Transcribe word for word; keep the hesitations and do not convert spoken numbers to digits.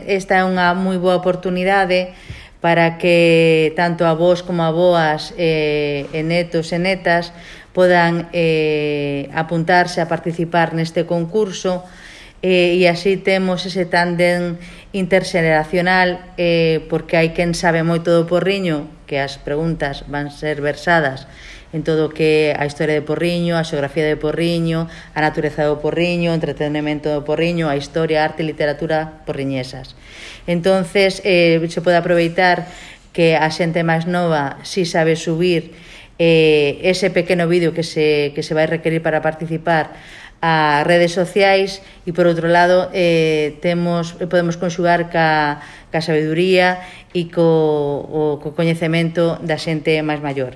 esta é unha moi boa oportunidade para que tanto avós como avoas e, e netos e netas podan eh, apuntarse a participar neste concurso eh, e así temos ese tándem interxeneracional eh, porque hai quen sabe moito do Porriño, que as preguntas van ser versadas en todo o que a historia de Porriño, a xeografía de Porriño, a natureza do Porriño, o entretenimento do Porriño, a historia, a arte e literatura porriñesas. Entonces, eh, se pode aproveitar que a xente máis nova si sabe subir eh, ese pequeno vídeo que se, que se vai requerir para participar a redes sociais e, por outro lado, eh, temos, podemos conxugar ca, ca sabeduría e co, o, co coñecemento da xente máis maior.